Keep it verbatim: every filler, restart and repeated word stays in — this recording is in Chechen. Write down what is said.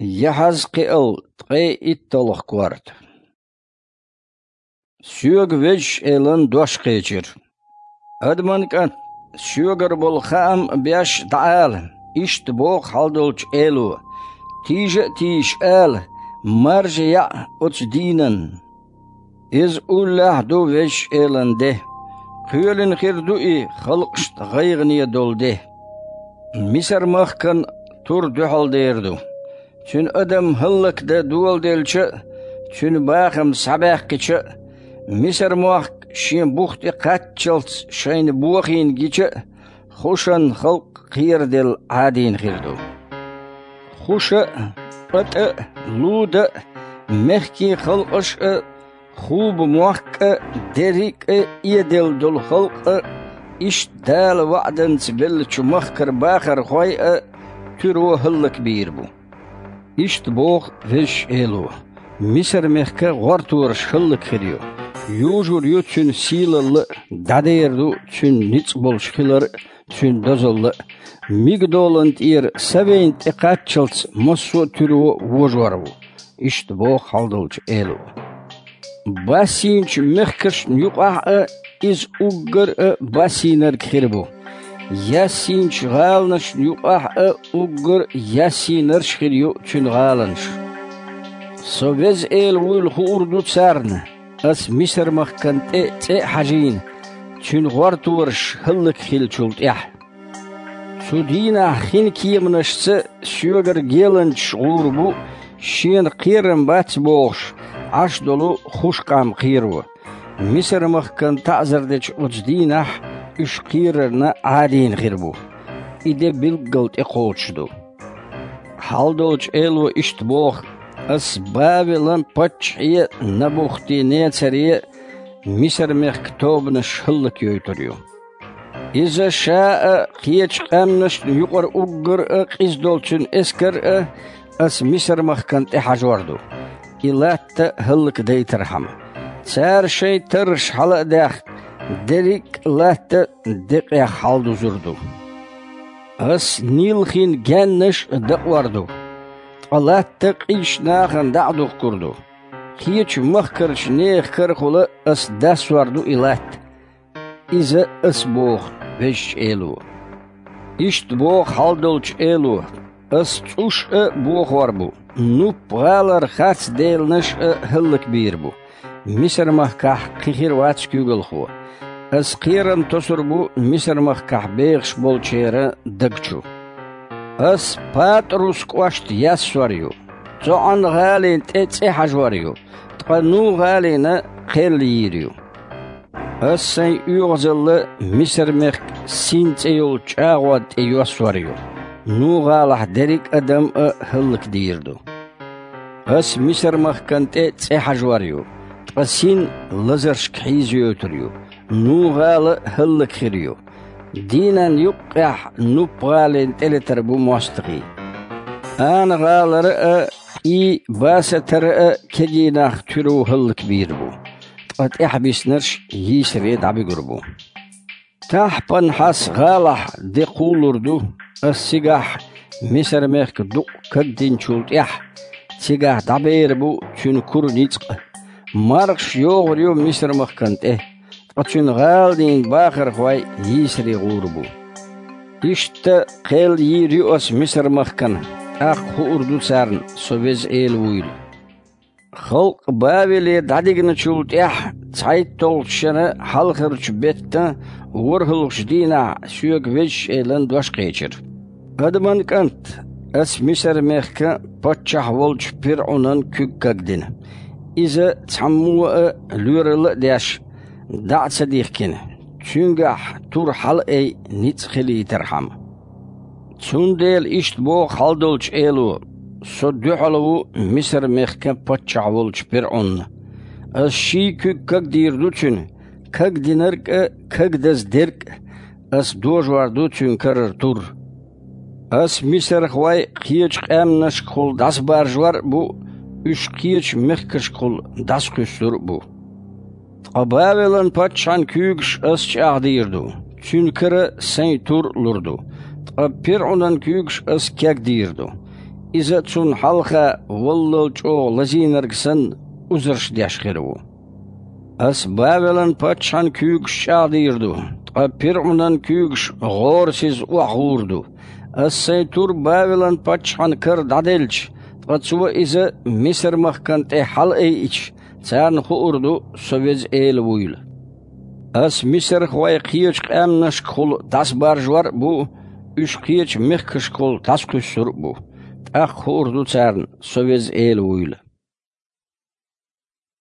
Яхьазкхиал, ткъе итталгӀа корта. Соьга Везачу Элан дош кхечира: «Адаман кӀант, соьгара болу хаам беш дӀаала, иштта боху хьалдолчу Эло: тийжа а тийжаш ала, маржа яӀ оцу дийнан. Иза уллехь а ду Везачу Элан де. Кхоьлина хир ду и халкъашна гӀайгӀане долу де. Мисар-махкан тур дуьхьал дер ду. Цуьнан адам хӀаллакдан доладелча а, цуьнан бахам схьабаьккхича а, Мисар-мохк шен бух тӀе кхаччалц шайна бохийна гича а, Хушан халкъ кхераделла Ӏадийна хир ду. Хуша а, ПатӀа а, Луда а, мехкийн халкъаш а, Хуба-мохк а, дерриг а эделла долу халкъ а, иштта Дала ваӀданца беллачу махкара бахархой а туьро хӀаллакбийр бу». Иштта боху Везачу Эло: «Мисар-мехкан гӀортораш хӀаллакьхир ю. Южур ю цуьнан сийлалла а, дӀадер ду цуьнан ницкъ болуш хилар а, цуьнан дозалла а. Мигдолан тӀера Савейна тӀе кхаччалц массо а туьро вожор ву», — иштта боху хьалдолчу Эло. Бассийначу мехкашна юкъахь а иза уггар а бассийнарг хир бу. Яссийначу гӀаланашна юкъахь а уггар яссийнарш хир ю цуьнан гӀаланаш. Со Веза Эла вуйла хуур ду царна, ас Мисар-махкан тӀе цӀе а хьажийна, цуьнан гӀортораш хӀаллакьхиллачул тӀаьхьа. Цу дийнахь хин кеманашца соьгара геланчаш гӀур бу, шена кхерам бац бохуш, Ӏаш долу хуш къам кхеро. Мисар-махкан таӀзар дечу оцу дийнахь уьш кхерарна Ӏадийна хир бу. И де билггал тӀекхочуш ду. Хьалдолчу Эло иштта боху: «Ас Бавелан паччахье а, Набухти-Нецаре а Мисар-мехкан тобанаш хӀаллакйойтур ю. Иза ша а, кхечу къаьмнашна юкъара уггар а къиза долу цуьнан эскар а ас Мисар-махкан тӀе хьажор ду, и латта хӀаллакдайтархьама. Цара шайн тарраш хьала а даьхна, дерриг а латта декъех хьаладузур ду. Ас Нил-хин гаьннаш а дакъор ду, ткъа латта къизачу нахана дӀа а духкур ду. Кхечу махкарчу нехан карахула ас дассор ду и латта». Иза ас боху Везачу Эло. Иштта боху хьалдолчу Эло: «Ас цӀуш а бохор бу, Нупп-гӀалара харц деланаш а хӀаллакбийр бу. Мисар-махкахь кхин хир вац куьйгалхо. Ас кхерам тосур бу Мисар-махкахь бехаш болчеран даг чу. Ас Патрус кӀошт яссор ю, ЦоӀан-гӀалин тӀе цӀе хьажор ю, ткъа Ну-гӀалина кхел йийр ю. Ас сайн оьгӀазалла Мисар-мехкан Син цӀе йолчу чӀагӀонна тӀе йоссор ю, Ну-гӀалахь дерриг а адам а хӀаллакдийр ду. Ас Мисар-махкан тӀе цӀе хьажор ю, ткъа Син лазаршка хьийзайойтур ю, Ну-гӀала хӀаллакьхир ю. Дийнан юккъехь Нупп-гӀалин тӀелетар бу мостагӀий. Ана-гӀалара а, и Басатара а кегий нах туьро хӀаллакбийр бу, ткъа тӀаьхьабиснарш йийсаре дӀабуьгур бу. Тахьпанхьас-гӀалахь де кхуллур ду, ас цигахь Мисар-мехкан дукъ кагдинчул тӀаьхьа, цигахь дӀабер бу цуьнан кура ницкъ. Мархаш йогӀур ю Мисар-махкан тӀе, ткъа цуьнан гӀаланийн бахархой йийсаре гӀур бу. Иштта кхел йийр ю ас Мисар-махкана, тӀаккха хуур ду царна Со Веза Эла вуйла». Халкъ Бавеле дӀадигначул тӀаьхьа цхьайтталгӀачу шеран хьалхарчу беттан ворхӀалгӀачу дийнахь Соьга Везачу Элан дош кхечира: «Адаман кӀант, ас Мисар-мехкан паччахь волчу ПирӀунан куьг кагдина. Иза цхьаммо а лоьралла а деш, дӀа а ца дихкина, цуьнгахь тур хьалаай ницкъ хилийтархьама. Цундела иштта боху хьалдолчу Эло: Со дуьхьал ву Мисар-мехкан паччахь волчу ПирӀунна. Ас ший куьг кагдийр ду цуьнан, кагдинарг а, кагдаза дерг а ас дожор ду цуьнан карара тур. Ас мисархой кхечу къаьмнашкахула дӀасабаржор а бу, уьш кхечу мехкашкахула дӀасакхуьссур а бу. Ткъа Бавелан паччахьан куьйгаш ас чӀагӀдийр ду, цуьнан кара сайн тур а лур ду, ткъа ПирӀунан куьйгаш ас кегдийр ду. иза цунна хьалха валлал чӀогӀа лазийнарг санна узарш деш хир ву. Ас Бавелан паччахьан куьйгаш чӀагӀдийр ду, ткъа ПирӀунан куьйгаш гӀорасиза охьагӀур ду. Ас сайн тур Бавелан паччахьан кара дӀаделча, ткъа цо иза Мисар-махкана тӀе хьалаайича, царна хуур ду Со Веза Эла вуйла. Ас мисархой кхечу къаьмнашкахула дӀасабаржор а бу, уьш кхечу мехкашкахула дӀасакхуьссур а бу. ТӀаккха хуур ду царна Со Веза Эла вуйла».